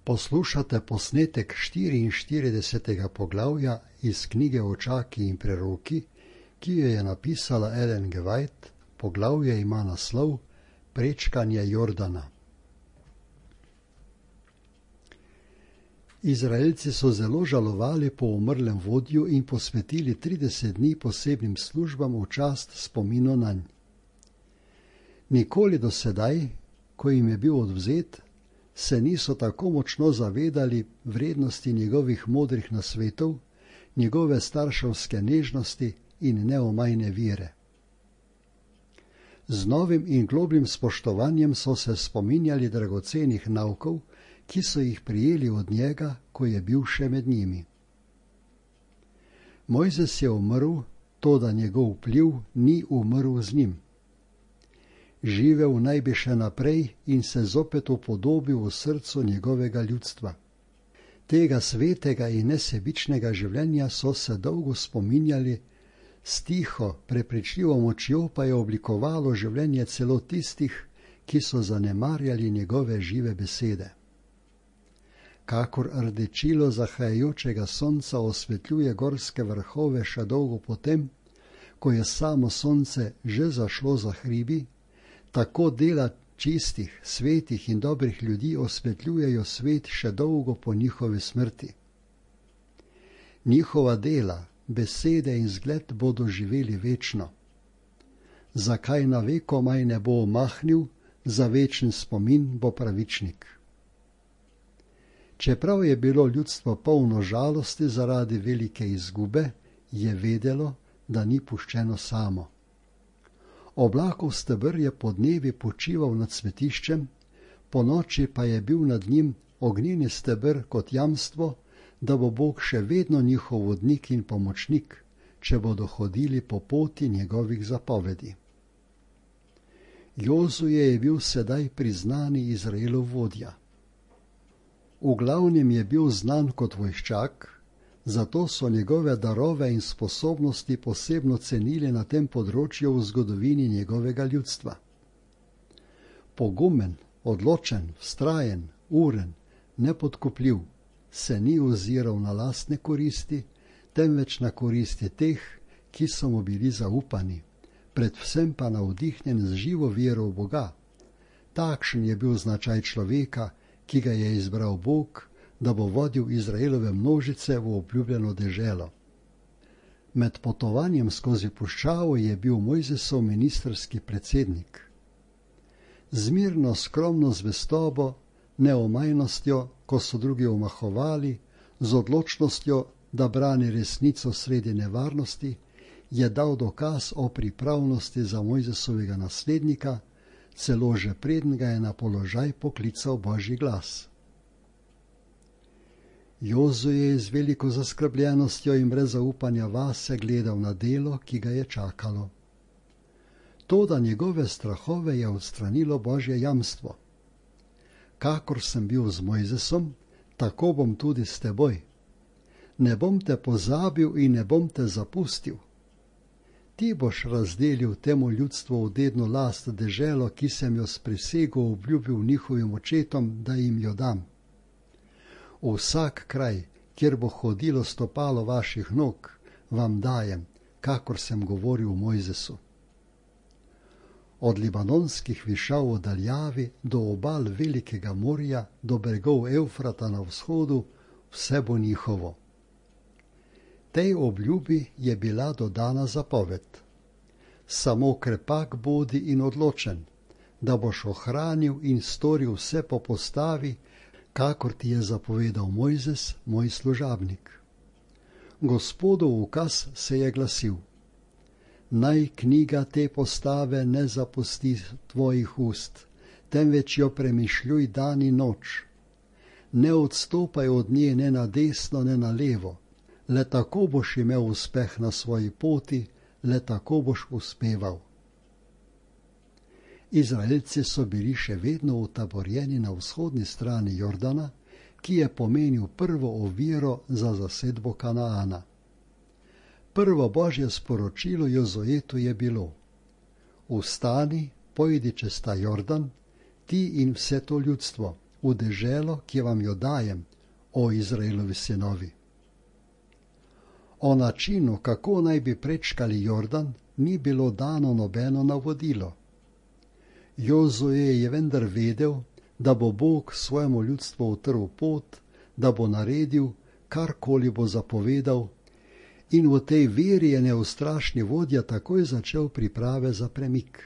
Poslušate posnetek 44. poglavja iz knjige Očaki in preroki, ki jo je napisala Ellen G. White. Poglavje ima naslov Prečkanje Jordana. Izraelci so zelo žalovali po umrlem vodju in posvetili 30 dni posebnim službam v čast spominu nanj. Nikoli do sedaj, ko jim je bil odvzet, se niso tako močno zavedali vrednosti njegovih modrih nasvetov, njegove starševske nežnosti in neomajne vire. Z novim in globljim spoštovanjem so se spominjali dragocenih naukov, ki so jih prijeli od njega, ko je bil še med njimi. Mojzes je umrl, toda njegov vpliv ni umrl z njim. Živel naj bi še naprej in se zopet upodobil v srcu njegovega ljudstva. Tega svetega in nesebičnega življenja so se dolgo spominjali, s tiho, prepričljivo močjo pa je oblikovalo življenje celo tistih, ki so zanemarjali njegove žive besede. Kakor rdečilo zahajajočega sonca osvetljuje gorske vrhove še dolgo potem, ko je samo sonce že zašlo za hribi, tako dela čistih, svetih in dobrih ljudi osvetljujejo svet še dolgo po njihovi smrti. Njihova dela, besede in zgled bodo živeli večno. Zakaj na vekomaj ne bo omahnil, za večen spomin bo pravičnik. Čeprav je bilo ljudstvo polno žalosti zaradi velike izgube, je vedelo, da ni puščeno samo. Oblakov steber je podnevi počival nad svetiščem, ponoči pa je bil nad njim ognjeni steber kot jamstvo, da bo Bog še vedno njihov vodnik in pomočnik, če bodo hodili po poti njegovih zapovedi. Jozue je bil sedaj priznani Izraelov vodja. V glavnem je bil znan kot vojščak, zato so njegove darove in sposobnosti posebno cenili na tem področju v zgodovini njegovega ljudstva. Pogumen, odločen, vztrajen, uren, nepodkupljiv, se ni oziral na lastne koristi, temveč na koristi teh, ki so mu bili zaupani, predvsem pa navdihnjen z živo vero v Boga. Takšen je bil značaj človeka, ki ga je izbral Bog, da bo vodil Izraelove množice v obljubljeno deželo. Med potovanjem skozi puščavo je bil Mojzesov ministrski predsednik. Z mirno, skromno zvestobo, neomajnostjo, ko so drugi omahovali, z odločnostjo, da brani resnico sredi nevarnosti, je dal dokaz o pripravnosti za Mojzesovega naslednika, celo že preden ga je na položaj poklical Božji glas. Jozue je z veliko zaskrbljenostjo in brez zaupanja vase gledal na delo, ki ga je čakalo. Toda njegove strahove je odstranilo Božje jamstvo. Kakor sem bil z Mojzesom, tako bom tudi s teboj. Ne bom te pozabil in ne bom te zapustil. Ti boš razdelil temu ljudstvu v dedno last deželo, ki sem jo s prisego obljubil njihovim očetom, da jim jo dam. V vsak kraj, kjer bo hodilo stopalo vaših nog, vam dajem, kakor sem govoril Mojzesu. Od libanonskih višav v daljavi do obal Velikega morja, do bregov Evfrata na vzhodu, vse bo njihovo. Tej obljubi je bila dodana zapoved. Samo krepak bodi in odločen, da boš ohranil in storil vse po postavi, kakor ti je zapovedal Mojzes, moj služabnik. Gospodov ukaz se je glasil: naj knjiga te postave ne zapusti tvojih ust, temveč jo premišljuj dan in noč. Ne odstopaj od nje ne na desno, ne na levo, le tako boš imel uspeh na svoji poti, le tako boš uspeval. Izraelci so bili še vedno utaborjeni na vzhodni strani Jordana, ki je pomenil prvo oviro za zasedbo Kanaana. Prvo Božje sporočilo Jozuetu je bilo: vstani, pojdi čez ta Jordan, ti in vse to ljudstvo, v deželo, ki vam jo dajem, o Izraelovi sinovi. O načinu, kako naj bi prečkali Jordan, ni bilo dano nobeno navodilo. Jozue je vendar vedel, da bo Bog svojemu ljudstvu utrl pot, da bo naredil, karkoli bo zapovedal, in v tej veri je neustrašni vodja takoj začel priprave za premik.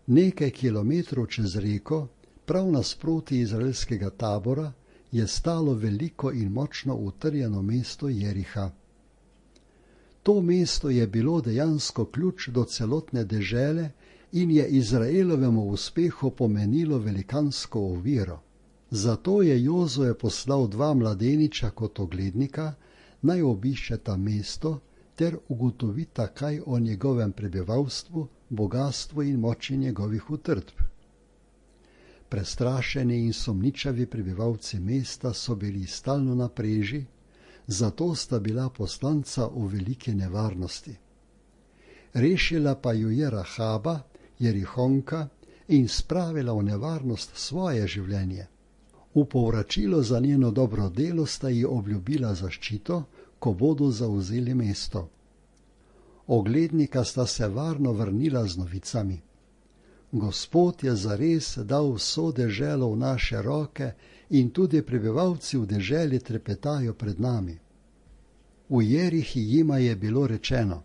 Nekaj kilometrov čez reko, prav nasproti izraelskega tabora, je stalo veliko in močno utrjeno mesto Jeriha. To mesto je bilo dejansko ključ do celotne dežele in je Izraelovemu uspehu pomenilo velikansko oviro. Zato je Jozue poslal 2 mladeniča kot oglednika, naj obiščeta mesto ter ugotovita kaj o njegovem prebivalstvu, bogatstvu in moči njegovih utrdb. Prestrašeni in sumničavi prebivalci mesta so bili stalno na preži, zato sta bila poslanca v veliki nevarnosti. Rešila pa ju je Rahaba, Jerihonka, in spravila v nevarnost svoje življenje. V povračilo za njeno dobro delo sta ji obljubila zaščito, ko bodo zavzeli mesto. Oglednika sta se varno vrnila z novicami. Gospod je zares dal vso deželo v naše roke in tudi prebivalci v deželi trepetajo pred nami. V Jerihi jima je bilo rečeno: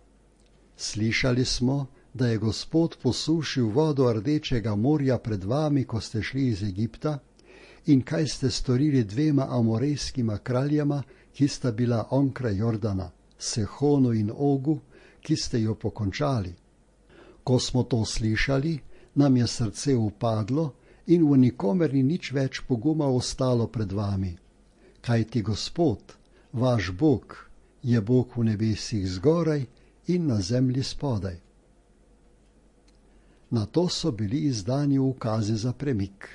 slišali smo, da je Gospod posušil vodo Rdečega morja pred vami, ko ste šli iz Egipta, in kaj ste storili 2 amorejskima kraljema, ki sta bila onkraj Jordana, Sehonu in Ogu, ki ste jo pokončali. Ko smo to slišali, nam je srce upadlo in v nikomer ni nič več poguma ostalo pred vami. Kajti Gospod, vaš Bog, je Bog v nebesih zgoraj in na zemlji spodaj. Na to so bili izdani ukazi za premik.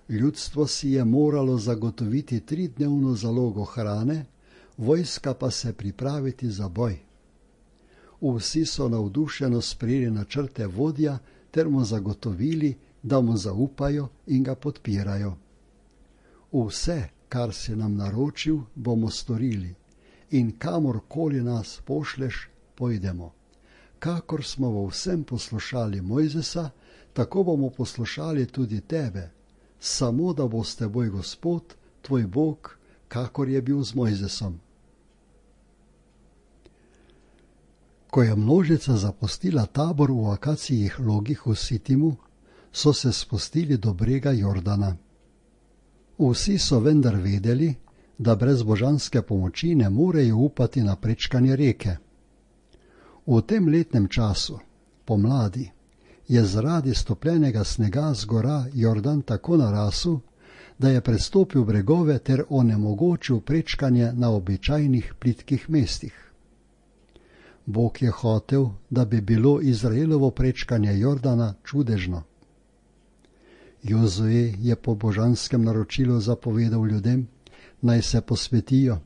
Ljudstvo si je moralo zagotoviti 3-dnevno zalogo hrane, vojska pa se pripraviti za boj. Vsi so navdušeno sprejeli načrte vodja ter mu zagotovili, da mu zaupajo in ga podpirajo. Vse, kar si nam naročil, bomo storili, in kamorkoli nas pošleš, pojdemo. Kakor smo v vsem poslušali Mojzesa, tako bomo poslušali tudi tebe, samo da bo s teboj Gospod, tvoj Bog, kakor je bil z Mojzesom. Ko je množica zapustila tabor v akacijih logih v Sitimu, so se spustili do brega Jordana. Vsi so vendar vedeli, da brez božanske pomoči ne morejo upati na prečkanje reke. V tem letnem času, pomladi, je zaradi stopljenega snega z gora Jordan tako narasel, da je prestopil bregove ter onemogočil prečkanje na običajnih plitkih mestih. Bog je hotel, da bi bilo Izraelovo prečkanje Jordana čudežno. Jozue je po božanskem naročilu zapovedal ljudem, naj se posvetijo,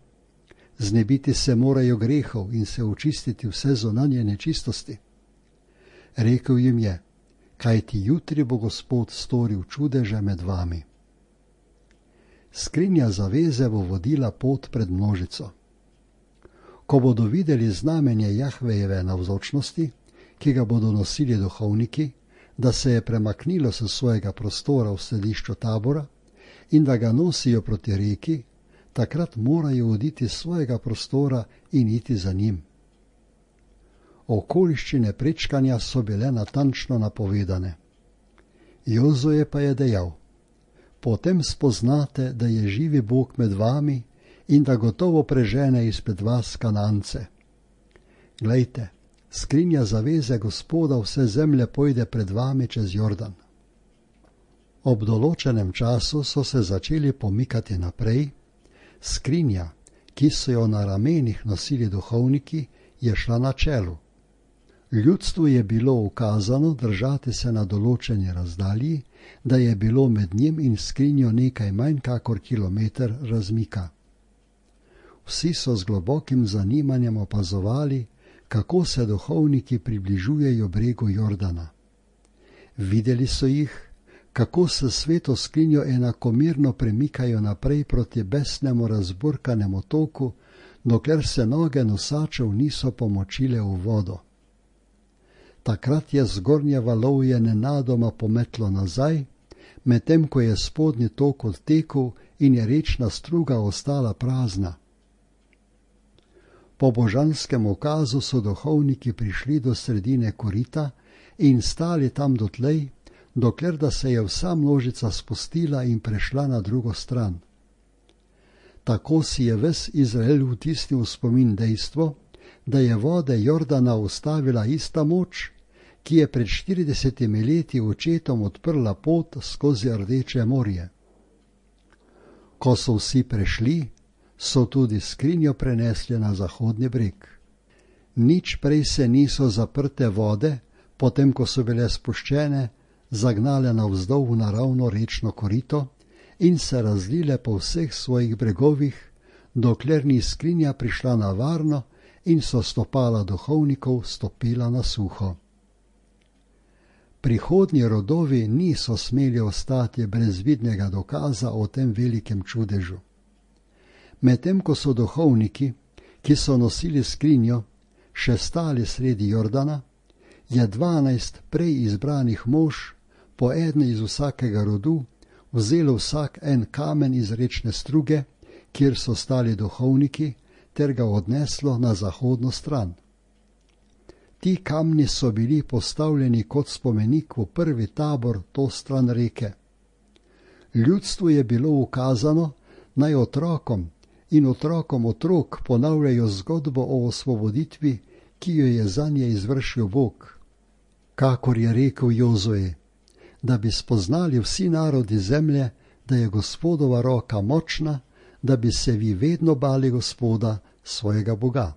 znebiti se morajo grehov in se očistiti vse zunanje nečistosti. Rekel jim je: kajti jutri bo Gospod storil čudeže med vami. Skrinja zaveze bo vodila pot pred množico. Ko bodo videli znamenje Jahvejeve navzočnosti, ki ga bodo nosili duhovniki, da se je premaknilo s svojega prostora v središču tabora in da ga nosijo proti reki, takrat morajo oditi iz svojega prostora in iti za njim. Okoliščine prečkanja so bile natančno napovedane. Jozue pa je dejal: potem spoznate, da je živi Bog med vami in da gotovo prežene izpred vas Kanance. Glejte, skrinja zaveze Gospoda vse zemlje pojde pred vami čez Jordan. Ob določenem času so se začeli pomikati naprej, skrinja, ki so jo na ramenih nosili duhovniki, je šla na čelu. Ljudstvu je bilo ukazano držati se na določeni razdalji, da je bilo med njim in skrinjo nekaj manj kakor kilometer razmika. Vsi so z globokim zanimanjem opazovali, kako se duhovniki približujejo bregu Jordana. Videli so jih, kako se sveto skrinjo enakomerno premikajo naprej proti besnemu razburkanemu toku, dokler se noge nosačev niso pomočile v vodo. Takrat je zgornje valovje nenadoma pometlo nazaj, medtem ko je spodnji tok odtekel in je rečna struga ostala prazna. Po božanskem ukazu so duhovniki prišli do sredine korita in stali tam dotlej, dokler da se je vsa množica spustila in prešla na drugo stran. Tako si je ves Izrael vtisnil v spomin dejstvo, da je vode Jordana ustavila ista moč, ki je pred 40 leti očetom odprla pot skozi Rdeče morje. Ko so vsi prešli, so tudi skrinjo prenesli na zahodni breg. Nič prej se niso zaprte vode, potem ko so bile spuščene, zagnale navzdol v naravno rečno korito in se razlile po vseh svojih bregovih, dokler ni skrinja prišla na varno in so stopala duhovnikov stopila na suho. Prihodnji rodovi niso smeli ostati brez vidnega dokaza o tem velikem čudežu. Medtem ko so duhovniki, ki so nosili skrinjo, še stali sredi Jordana, je 12 prej izbranih mož, po eden iz vsakega rodu, vzelo vsak en kamen iz rečne struge, kjer so stali duhovniki, ter ga odneslo na zahodno stran. Ti kamni so bili postavljeni kot spomenik v prvi tabor to stran reke. Ljudstvu je bilo ukazano, naj otrokom in otrokom otrok ponavljajo zgodbo o osvoboditvi, ki jo je zanje izvršil Bog. Kakor je rekel Jozue, da bi spoznali vsi narodi zemlje, da je Gospodova roka močna, da bi se vi vedno bali Gospoda, svojega Boga.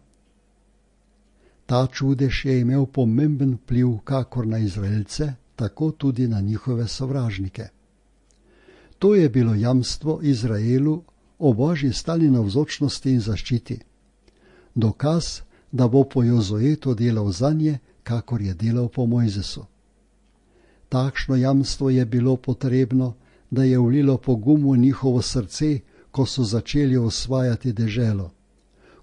Ta čudež je imel pomemben vpliv kakor na Izraelce, tako tudi na njihove sovražnike. To je bilo jamstvo Izraelu o Božji stalni navzočnosti in zaščiti. Dokaz, da bo po Jozuetu delal zanje, kakor je delal po Mojzesu. Takšno jamstvo je bilo potrebno, da je vlilo pogum v njihovo srce, ko so začeli osvajati deželo,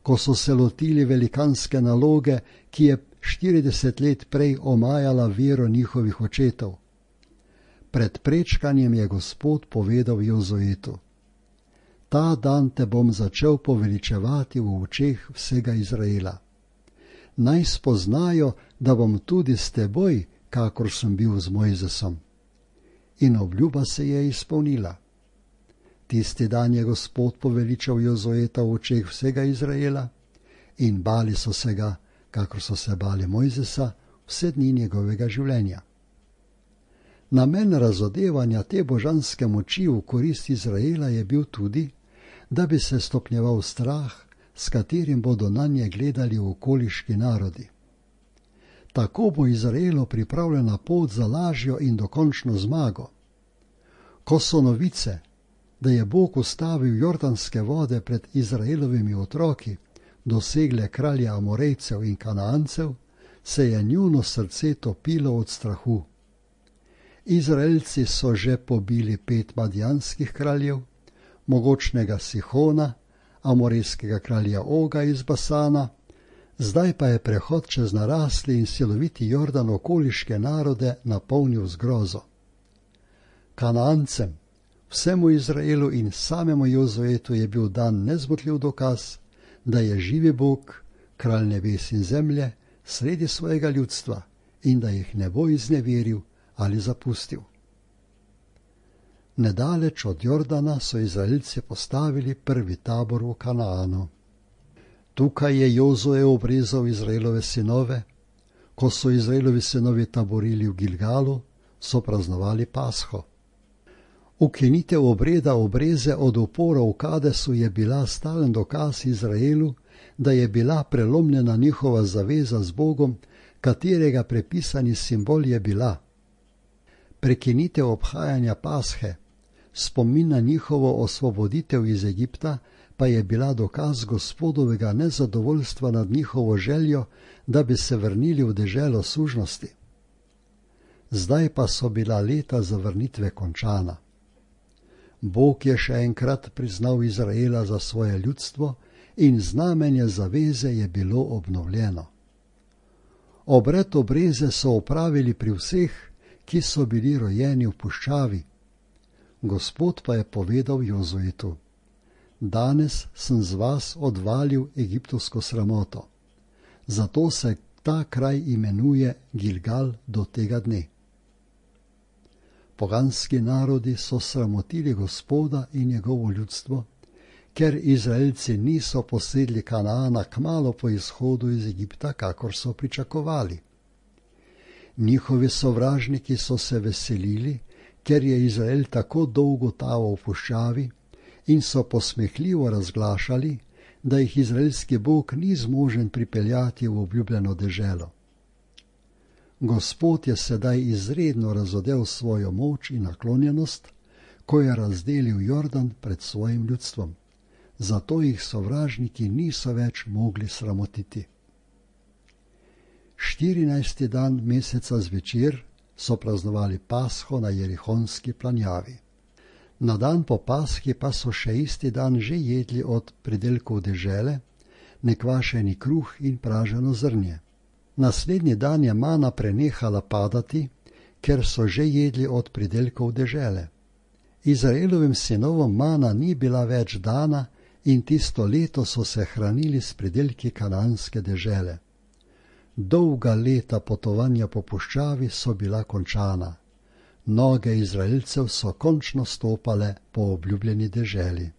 ko so se lotili velikanske naloge, ki je 40 let prej omajala vero njihovih očetov. Pred prečkanjem je Gospod povedal Jozuetu: Ta dan te bom začel poveličevati v očeh vsega Izraela. Naj spoznajo, da bom tudi s teboj, kakor sem bil z Mojzesom. In obljuba se je izpolnila. Tisti dan je Gospod poveličal Jozueta v očeh vsega Izraela in bali so se ga, kakor so se bali Mojzesa, vse dni njegovega življenja. Namen razodevanja te božanske moči v korist Izraela je bil tudi, da bi se stopnjeval strah, s katerim bodo nanje gledali okoliški narodi. Tako bo Izraelu pripravljena pot za lažjo in dokončno zmago. Ko so novice, da je Bog ustavil jordanske vode pred Izraelovimi otroki, dosegle kralja Amorejcev in Kanaancev, se je njuno srce topilo od strahu. Izraelci so že pobili 5 madjanskih kraljev, mogočnega Sihona, amorejskega kralja Oga iz Basana, zdaj pa je prehod čez narasli in siloviti Jordan okoliške narode napolnil z grozo. Kanaancem, vsemu Izraelu in samemu Jozuetu je bil dan nezmotljiv dokaz, da je živi Bog, kralj nebes in zemlje, sredi svojega ljudstva in da jih ne bo izneveril ali zapustil. Nedaleč od Jordana so Izraelci postavili prvi tabor v Kanaanu. Tukaj je Jozue obrezal Izraelove sinove. Ko so Izraelovi sinovi taborili v Gilgalu, so praznovali Pasho. Ukinitev obreda obreze od upora v Kadesu je bila stalen dokaz Izraelu, da je bila prelomljena njihova zaveza z Bogom, katerega prepisani simbol je bila. Prekinitev obhajanja Pashe, spomin na njihovo osvoboditev iz Egipta, pa je bila dokaz Gospodovega nezadovoljstva nad njihovo željo, da bi se vrnili v deželo sužnosti. Zdaj pa so bila leta zavrnitve končana. Bog je še enkrat priznal Izraela za svoje ljudstvo in znamenje zaveze je bilo obnovljeno. Obred obreze so opravili pri vseh, ki so bili rojeni v puščavi. Gospod pa je povedal Jozuetu: danes sem z vas odvalil egiptovsko sramoto. Zato se ta kraj imenuje Gilgal do tega dne. Poganski narodi so sramotili Gospoda in njegovo ljudstvo, ker Izraelci niso posedli Kanaana kmalu po izhodu iz Egipta, kakor so pričakovali. Njihovi sovražniki so se veselili, ker je Izrael tako dolgo taval v puščavi, in so posmehljivo razglašali, da jih izraelski Bog ni zmožen pripeljati v obljubljeno deželo. Gospod je sedaj izredno razodel svojo moč in naklonjenost, ko je razdelil Jordan pred svojim ljudstvom. Zato jih sovražniki niso več mogli sramotiti. 14. dan meseca zvečer so praznovali Pasho na Jerihonski planjavi. Na dan po Pashi pa so še isti dan že jedli od pridelkov dežele, nekvašeni kruh in praženo zrnje. Naslednji dan je mana prenehala padati, ker so že jedli od pridelkov dežele. Izraelovim sinovom mana ni bila več dana in tisto leto so se hranili s pridelki kananske dežele. Dolga leta potovanja po puščavi so bila končana. Noge Izraelcev so končno stopale po obljubljeni deželi.